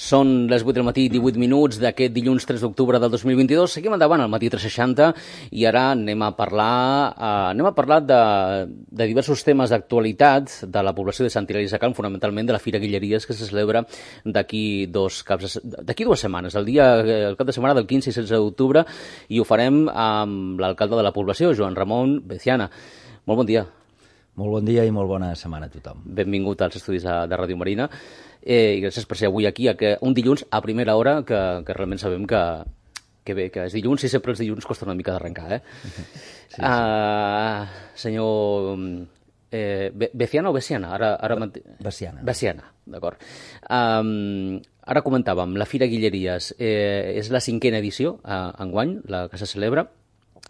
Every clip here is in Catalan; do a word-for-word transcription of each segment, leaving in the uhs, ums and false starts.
Són les vuit del matí, divuit minuts d'aquest dilluns tres d'octubre del dos mil vint-i-dos. Seguim endavant al matí tres seixanta i ara anem a parlar, eh, anem a parlar de, de diversos temes d'actualitat de la població de Sant Hilari Sacalm, fonamentalment de la Fira Guilleries, que se celebra d'aquí dos caps, d'aquí dues setmanes, el dia, el cap de setmana del quinze i setze d'octubre, i ho farem amb l'alcalde de la població, Joan Ramon Veciana. Molt bon dia. Molt bon dia i molt bona setmana a tothom. Benvingut als estudis de, de Ràdio Marina eh, i gràcies per ser avui aquí, a que, un dilluns a primera hora, que, que realment sabem que, que bé, que és dilluns i sempre els dilluns costa una mica d'arrencar, eh? Sí, sí. Uh, senyor eh, Veciana o Veciana? Ara, ara... Veciana. Veciana, d'acord. Um, ara comentàvem, la Fira Guilleries eh, és la cinquena edició uh, enguany, la que se celebra.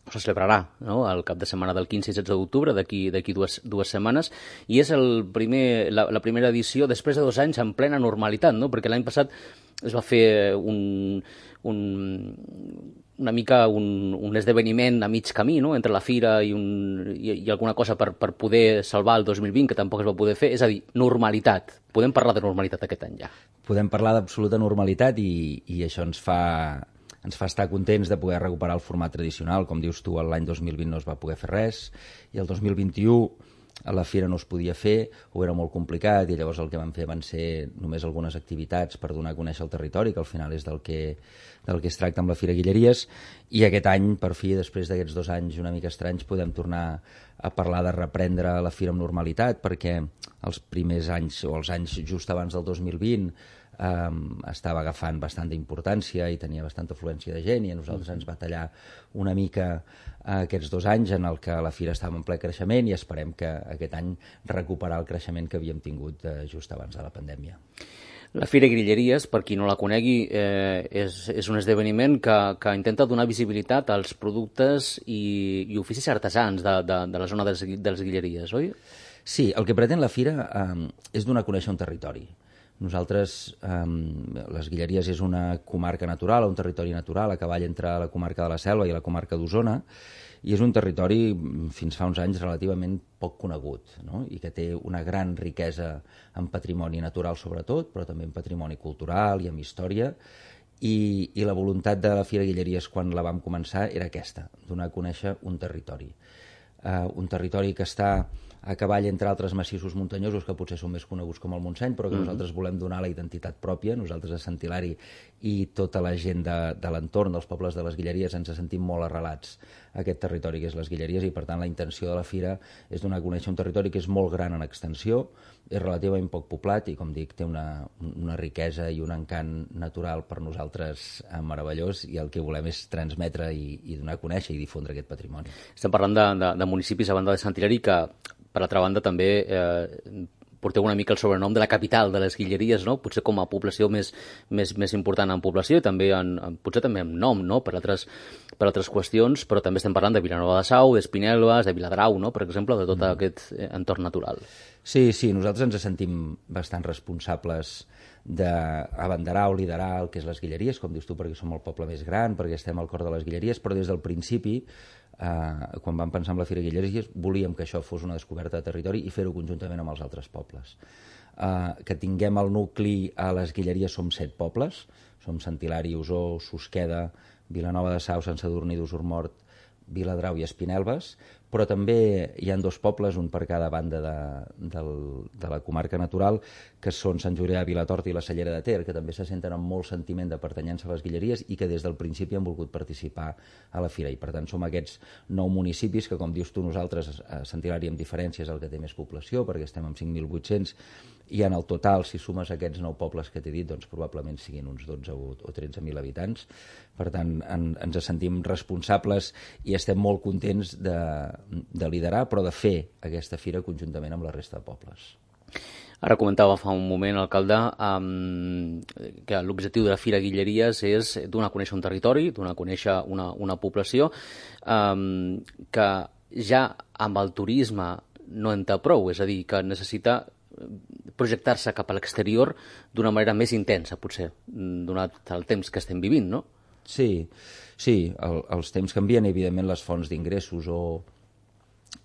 Se celebrarà, no?, el cap de setmana del quinze i setze d'octubre, d'aquí d'aquí dues, dues setmanes, i és el primer, la, la primera edició després de dos anys en plena normalitat, no?, perquè l'any passat es va fer un, un, una mica un, un esdeveniment a mig camí, no?, entre la fira i, un, i, i alguna cosa per, per poder salvar el dos mil vint, que tampoc es va poder fer, és a dir, normalitat. Podem parlar de normalitat aquest any ja. Podem parlar d'absoluta normalitat i, i això ens fa... ens fa estar contents de poder recuperar el format tradicional. Com dius tu, l'any dos mil vint no es va poder fer res, i el dos mil vint-i-u a la fira no es podia fer, o era molt complicat, i llavors el que vam fer van ser només algunes activitats per donar a conèixer el territori, que al final és del que, del que es tracta amb la Fira Guilleries, i aquest any, per fi, després d'aquests dos anys una mica estranys, podem tornar a parlar de reprendre la fira amb normalitat, perquè els primers anys, o els anys just abans del dos mil vint, Um, estava agafant bastanta importància i tenia bastanta afluència de gent, i a nosaltres ens va tallar una mica uh, aquests dos anys en el que la fira estava en ple creixement, i esperem que aquest any recuperar el creixement que havíem tingut uh, just abans de la pandèmia. La Fira Guilleries, per qui no la conegui, eh, és, és un esdeveniment que, que intenta donar visibilitat als productes i, i oficis artesans de, de, de la zona dels, dels Guilleries, oi? Sí, el que pretén la fira um, és donar a conèixer un territori. Nosaltres, eh, les Guilleries és una comarca natural, un territori natural a cavall entre la comarca de la Selva i la comarca d'Osona, i és un territori fins fa uns anys relativament poc conegut, no?, i que té una gran riquesa en patrimoni natural sobretot, però també en patrimoni cultural i en història, i, i la voluntat de la Fira Guilleries quan la vam començar era aquesta, donar a conèixer un territori. Eh, un territori que està a cavall entre altres massissos muntanyosos que potser són més coneguts com el Montseny, però que mm-hmm. nosaltres volem donar la identitat pròpia. Nosaltres a Sant Hilari i tota la gent de, de l'entorn dels pobles de les Guilleries ens sentim molt arrelats a aquest territori que és les Guilleries, i per tant la intenció de la fira és donar a conèixer un territori que és molt gran en extensió, és relativament poc poblat i, com dic, té una, una riquesa i un encant natural per nosaltres meravellós, i el que volem és transmetre i, i donar a conèixer i difondre aquest patrimoni. Estem parlant de, de, de municipis a banda de Sant Hilari que, per altra banda, també eh, porteu una mica el sobrenom de la capital de les Guilleries, no?, potser com a població més, més, més important en població, i també en, potser també en nom, no?, per altres, per altres qüestions, però també estem parlant de Vilanova de Sau, d'Espinelves, de Viladrau, no?, per exemple, de tot mm. aquest entorn natural. Sí, sí, nosaltres ens sentim bastant responsables d'abanderar o liderar el que és les Guilleries, com dius tu, perquè som el poble més gran, perquè estem al cor de les Guilleries, però des del principi, eh, quan vam pensar en la Fira Guilleries, volíem que això fos una descoberta de territori i fer-ho conjuntament amb els altres pobles. Eh, que tinguem el nucli a les Guilleries, som set pobles, som Sant Hilari, Osor, Susqueda, Vilanova de Sau, Sant Sadurní d'Osormort, Viladrau i Espinelves, però també hi ha dos pobles, un per cada banda de, de, de la comarca natural, que són Sant Julià de Vilatorta i la Cellera de Ter, que també se senten amb molt sentiment de pertanyença a les Guilleries i que des del principi han volgut participar a la fira. I per tant som aquests nou municipis que, com dius tu, nosaltres a Sant Hilari amb diferència és el que té més població, perquè estem amb cinc mil vuit-cents, i en el total, si sumes aquests nou pobles que t'he dit, doncs probablement siguin uns dotze o tretze mil habitants. Per tant, en, ens sentim responsables i estem molt contents de, de liderar, però de fer aquesta fira conjuntament amb la resta de pobles. Ara comentava fa un moment, alcalde, um, que l'objectiu de la Fira Guilleries és donar a conèixer un territori, donar a conèixer una, una població, um, que ja amb el turisme no en té prou, és a dir, que necessita projectar-se cap a l'exterior d'una manera més intensa, potser, donat el temps que estem vivint, no? Sí, sí, el, els temps canvien, evidentment les fonts d'ingressos o,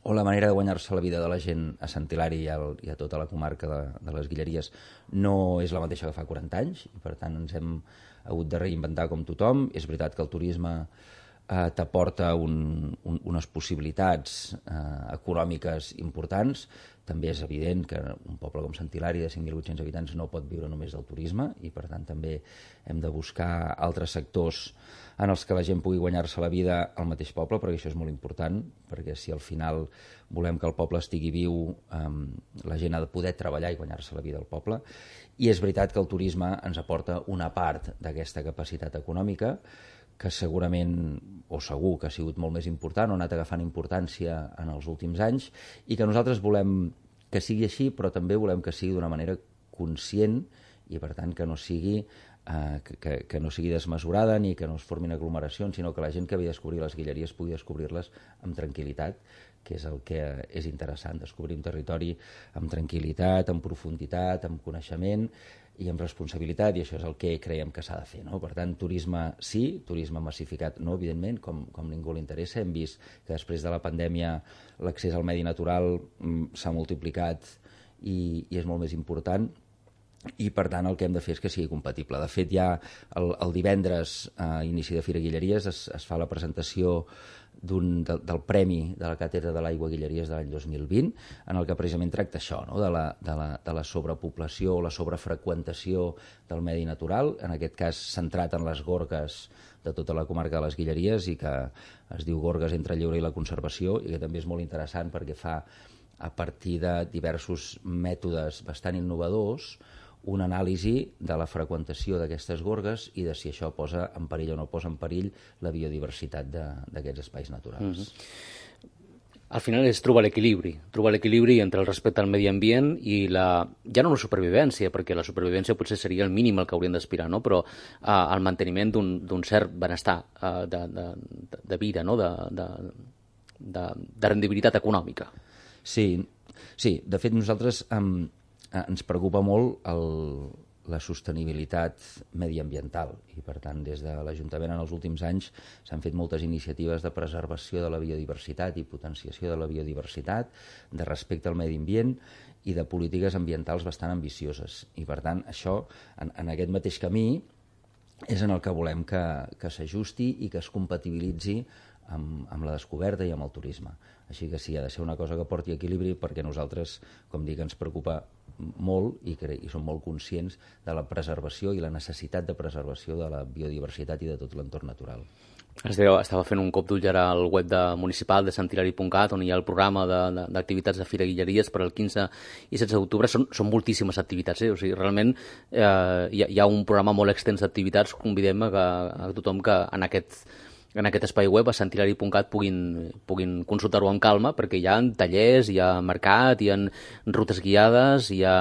o la manera de guanyar-se la vida de la gent a Sant Hilari i, al, i a tota la comarca de, de les Guilleries no és la mateixa que fa quaranta anys, i per tant ens hem hagut de reinventar com tothom. És veritat que el turisme eh, t'aporta un, un, unes possibilitats eh, econòmiques importants. També és evident que un poble com Sant Hilari de cinc mil vuit-cents habitants no pot viure només del turisme, i per tant també hem de buscar altres sectors en els que la gent pugui guanyar-se la vida al mateix poble, perquè això és molt important, perquè si al final volem que el poble estigui viu, eh, la gent ha de poder treballar i guanyar-se la vida al poble. I és veritat que el turisme ens aporta una part d'aquesta capacitat econòmica, que segurament, o segur que ha sigut molt més important, o ha anat agafant importància en els últims anys, i que nosaltres volem que sigui així, però també volem que sigui d'una manera conscient, i per tant que no sigui eh, que, que, que no sigui desmesurada ni que no es formin aglomeracions, sinó que la gent que ve a descobrir les Guilleries pugui descobrir-les amb tranquil·litat, que és el que és interessant, descobrir un territori amb tranquil·litat, amb profunditat, amb coneixement i amb responsabilitat, i això és el que creiem que s'ha de fer, no? Per tant, turisme sí, turisme massificat no, evidentment, com, com ningú li interessa. Hem vist que després de la pandèmia l'accés al medi natural mm, s'ha multiplicat i, i és molt més important, i per tant el que hem de fer és que sigui compatible. De fet, ja el, el divendres a inici de Fira Guilleries es, es fa la presentació d'un, del, del Premi de la Càtedra de l'Aigua Guilleries de l'any dos mil vint, en el que precisament tracta això, no? de, la, de, la, de la sobrepoblació o la sobrefreqüentació del medi natural, en aquest cas centrat en les gorgues de tota la comarca de les Guilleries, i que es diu Gorgues entre el lleure i la conservació, i que també és molt interessant perquè fa, a partir de diversos mètodes bastant innovadors, una anàlisi de la freqüentació d'aquestes gorgues i de si això posa en perill o no posa en perill la biodiversitat d'aquests espais naturals. Mm-hmm. Al final és trobar l'equilibri, trobar l'equilibri entre el respecte al medi ambient i la, ja no la supervivència, perquè la supervivència potser seria el mínim al que hauríem d'aspirar, no? Però uh, el manteniment d'un cert benestar uh, de, de, de vida, no? de, de, de, de rendibilitat econòmica. Sí, sí, de fet nosaltres... Um, ens preocupa molt el, la sostenibilitat mediambiental, i per tant des de l'Ajuntament en els últims anys s'han fet moltes iniciatives de preservació de la biodiversitat i potenciació de la biodiversitat, de respecte al medi ambient i de polítiques ambientals bastant ambicioses, i per tant això en, en aquest mateix camí és en el que volem que, que s'ajusti i que es compatibilitzi amb, amb la descoberta i amb el turisme. Així que sí, ha de ser una cosa que porti equilibri, perquè nosaltres, com dic, ens preocupa molt i, cre i som molt conscients de la preservació i la necessitat de preservació de la biodiversitat i de tot l'entorn natural. Es deia, estava fent un cop d'ull ara al web de municipal de sant hilari punt cat, on hi ha el programa d'activitats de, de, de Fira Guilleries per al quinze i setze d'octubre. Són, són moltíssimes activitats, eh? O sigui, realment eh, hi, ha, hi ha un programa molt extens d'activitats. Convidem a, que, a tothom que en aquest en aquest espai web a sant hilari punt cat puguin, puguin consultar-ho amb calma, perquè hi ha tallers, hi ha mercat, hi ha rutes guiades, hi ha,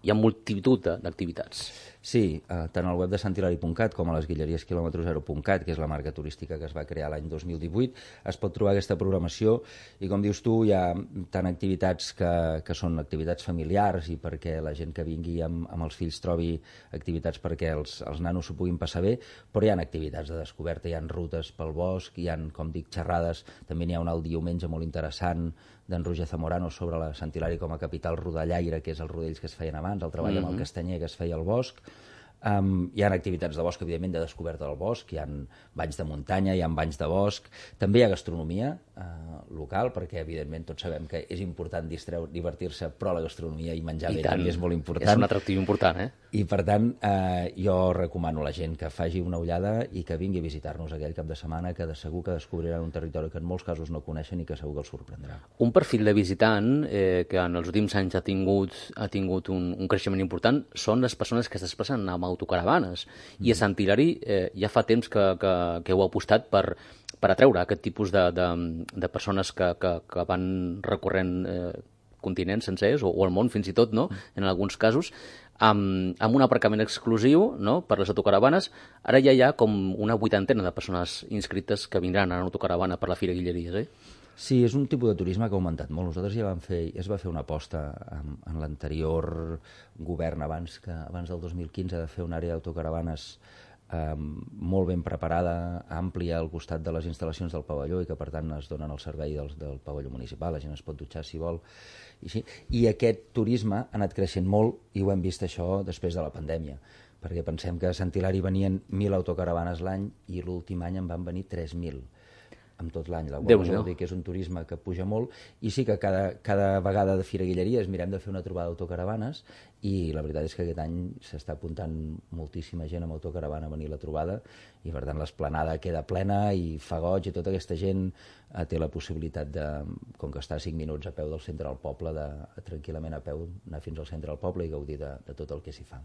hi ha multitud d'activitats. Sí, eh, tant al web de sant hilari punt cat com a les guilleries quilòmetre zero punt cat, que és la marca turística que es va crear l'any dos mil divuit, es pot trobar aquesta programació, i com dius tu, hi ha tant activitats que, que són activitats familiars i perquè la gent que vingui amb, amb els fills trobi activitats perquè els, els nanos s'ho puguin passar bé, però hi ha activitats de descoberta, hi ha rutes pel bosc, hi ha, com dic, xerrades, també n'hi ha una el diumenge molt interessant d'en Roger Zamorano sobre la Sant Hilari com a capital rodallaire, que és els rodells que es feien abans, el treball mm-hmm. amb el castanyer que es feia al bosc. Um, hi ha activitats de bosc, evidentment, de descoberta del bosc, hi ha banys de muntanya, hi ha banys de bosc, també hi ha gastronomia uh, local, perquè evidentment tots sabem que és important divertir-se, però la gastronomia i menjar bé també és molt important. És un atractiu important, eh? I per tant, eh, jo recomano a la gent que faci una ullada i que vingui a visitar-nos aquell cap de setmana, que de segur que descobriran un territori que en molts casos no coneixen i que segur que els sorprendrà. Un perfil de visitant eh, que en els últims anys ha tingut, ha tingut un, un creixement important són les persones que es desplacen amb autocaravanes. Mm. I a Sant Hilari eh, ja fa temps que, que, que heu apostat per, per atreure aquest tipus de, de, de persones que, que, que van recorrent eh, continents sencers, o, o el món fins i tot, no? En alguns casos, amb, amb un aparcament exclusiu, no? Per les autocaravanes. Ara ja hi ha com una vuitantena de persones inscrites que vindran en autocaravana per la Fira Guilleries, eh? Sí, és un tipus de turisme que ha augmentat molt. Nosaltres ja vam fer, ja es va fer una aposta en, en l'anterior govern, abans, que, abans del dos mil quinze, de fer una àrea d'autocaravanes eh, molt ben preparada, àmplia al costat de les instal·lacions del pavelló i que per tant es donen el servei del, del pavelló municipal, la gent es pot dutxar si vol. I, així. I aquest turisme ha anat creixent molt i ho hem vist això després de la pandèmia, perquè pensem que a Sant Hilari venien mil autocaravanes l'any i l'últim any en van venir tres mil amb tot l'any, la qual cosa vol dir que és un turisme que puja molt, i sí que cada, cada vegada de Fira Guilleries mirem de fer una trobada d'autocaravanes i la veritat és que aquest any s'està apuntant moltíssima gent amb autocaravana a venir a la trobada i per tant l'esplanada queda plena i fa goig i tota aquesta gent eh, té la possibilitat de, com que està a cinc minuts a peu del centre del poble, de tranquil·lament a peu anar fins al centre del poble i gaudir de, de tot el que s'hi fa.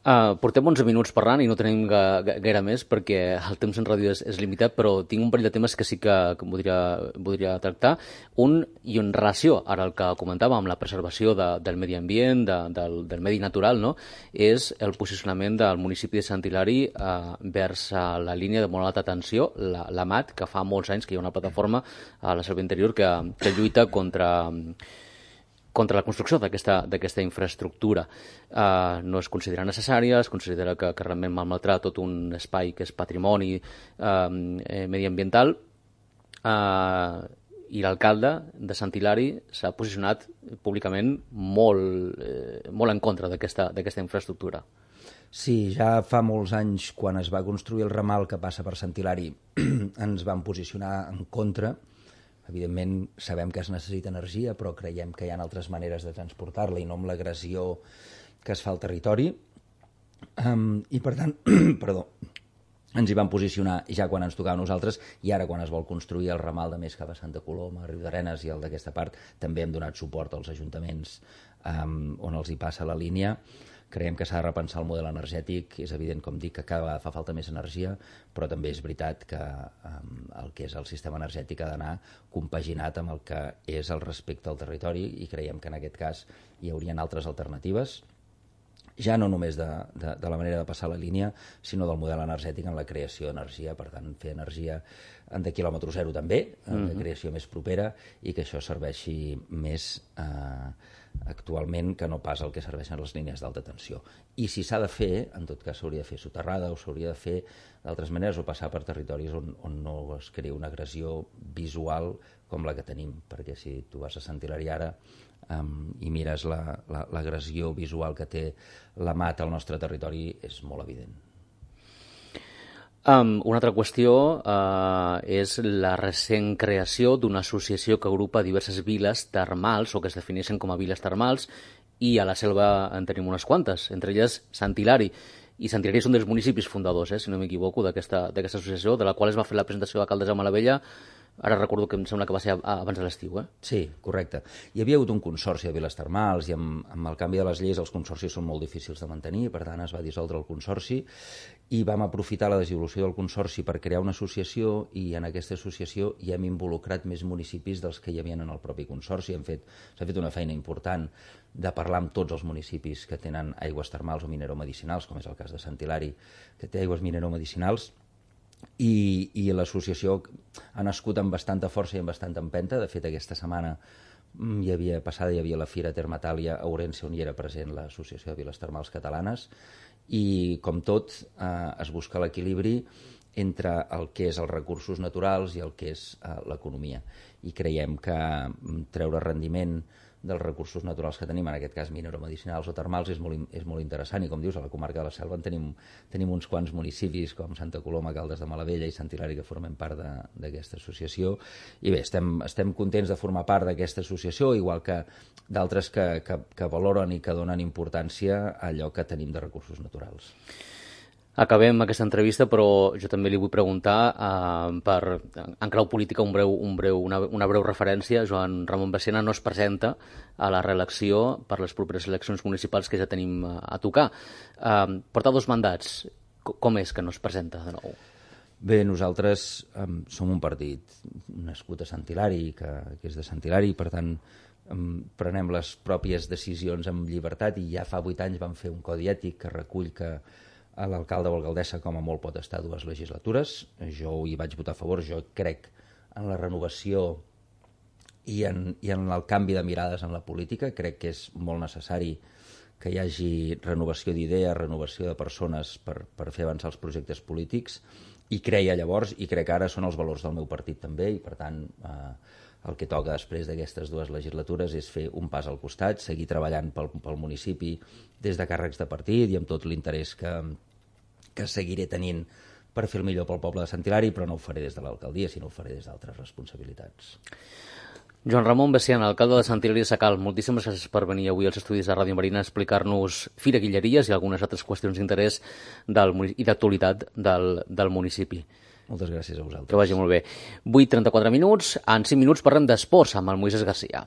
Uh, portem onze minuts parlant i no tenim ga, ga, gaire més perquè el temps en ràdio és, és limitat, però tinc un parell de temes que sí que, que voldria, voldria tractar. Un, i en relació ara el que comentàvem amb la preservació de, del medi ambient, de, del, del medi natural, no? És el posicionament del municipi de Sant Hilari uh, vers uh, la línia de molt alta tensió, la, la M A T, que fa molts anys que hi ha una plataforma a la Selva Interior que, que lluita contra... contra la construcció d'aquesta infraestructura. Uh, no es considera necessària, es considera que, que realment malmetrà tot un espai que és patrimoni uh, mediambiental, uh, i l'alcalde de Sant Hilari s'ha posicionat públicament molt, eh, molt en contra d'aquesta infraestructura. Sí, ja fa molts anys, quan es va construir el ramal que passa per Sant Hilari, ens vam posicionar en contra. Evidentment, sabem que es necessita energia, però creiem que hi ha altres maneres de transportar-la i no amb l'agressió que es fa al territori. Um, I, per tant, perdó, ens hi vam posicionar ja quan ens tocava a nosaltres i ara quan es vol construir el ramal de més cap a Santa Coloma, Riudarenes i el d'aquesta part, també hem donat suport als ajuntaments um, on els hi passa la línia. Creiem que s'ha de repensar el model energètic. És evident, com dic, que cada vegada fa falta més energia, però també és veritat que um, el que és el sistema energètic ha d'anar compaginat amb el que és el respecte al territori i creiem que en aquest cas hi haurien altres alternatives, ja no només de, de, de la manera de passar la línia, sinó del model energètic en la creació d'energia, per tant, fer energia de quilòmetre zero també, mm-hmm. de creació més propera, i que això serveixi més eh, actualment que no pas el que serveixen les línies d'alta tensió. I si s'ha de fer, en tot cas s'hauria de fer soterrada o s'hauria de fer d'altres maneres o passar per territoris on, on no es crea una agressió visual com la que tenim, perquè si tu vas a Sant Hilari ara um, i mires l'agressió la, la, visual que té la M A T al nostre territori és molt evident. Um, una altra qüestió uh, és la recent creació d'una associació que agrupa diverses viles termals o que es defineixen com a viles termals, i a la selva en tenim unes quantes, entre elles Sant Hilari. I Sant Hilari és un dels municipis fundadors, eh, si no m'equivoco, d'aquesta associació, de la qual es va fer la presentació d'alcaldessa Malavella. Ara recordo que em sembla que va ser abans de l'estiu, eh? Sí, correcte. Hi havia hagut un consorci de viles termals i amb, amb el canvi de les lleis els consorcis són molt difícils de mantenir, per tant es va dissoldre el consorci i vam aprofitar la dissolució del consorci per crear una associació, i en aquesta associació hi hem involucrat més municipis dels que hi havia en el propi consorci. Hem fet, s'ha fet una feina important de parlar amb tots els municipis que tenen aigües termals o mineromedicinals, com és el cas de Sant Hilari, que té aigües mineromedicinals. I, i l'associació ha nascut amb bastanta força i amb bastanta empenta. De fet, aquesta setmana hi havia, passada hi havia la Fira Termatàlia a Ourense, on hi era present l'Associació de Viles Termals Catalanes, i com tot eh, es busca l'equilibri entre el que és els recursos naturals i el que és eh, l'economia, i creiem que treure rendiment dels recursos naturals que tenim, en aquest cas mineromedicinals o termals, és molt, és molt interessant. I com dius, a la comarca de la Selva en tenim, tenim uns quants municipis com Santa Coloma, Caldes de Malavella i Sant Hilari que formen part d'aquesta associació, i bé, estem, estem contents de formar part d'aquesta associació, igual que d'altres que, que, que valoren i que donen importància a allò que tenim de recursos naturals. Acabem aquesta entrevista, però jo també li vull preguntar, eh, per, en clau política, un breu, un breu, una, una breu referència. Joan Ramon Bacena no es presenta a la reelecció per les properes eleccions municipals que ja tenim a, a tocar. Eh, porta dos mandats. Com és que no es presenta de nou? Bé, nosaltres um, som un partit nascut a Sant Hilari, que, que és de Sant Hilari, i per tant um, prenem les pròpies decisions amb llibertat, i ja fa vuit anys vam fer un codi ètic que recull que l'alcalde o alcaldessa com a molt pot estar dues legislatures. Jo hi vaig votar a favor. Jo crec en la renovació i en, i en el canvi de mirades en la política. Crec que és molt necessari que hi hagi renovació d'idees, renovació de persones per, per fer avançar els projectes polítics, i creia llavors, i crec que ara són els valors del meu partit també, i per tant eh, el que toca després d'aquestes dues legislatures és fer un pas al costat, seguir treballant pel, pel municipi des de càrrecs de partit i amb tot l'interès que, que seguiré tenint per fer el millor pel poble de Sant Hilari, però no ho faré des de l'alcaldia, sinó ho faré des d'altres responsabilitats. Joan Ramon Bessian, alcalde de Sant Hilari Sacalm, moltíssimes gràcies per venir avui als estudis de Ràdio Marina a explicar-nos Fira Guilleries i algunes altres qüestions d'interès i d'actualitat del, del municipi. Moltes gràcies a vosaltres. Que vagi molt bé. vuit i trenta-quatre minuts, en cinc minuts parlem d'esports amb el Moisés Garcia.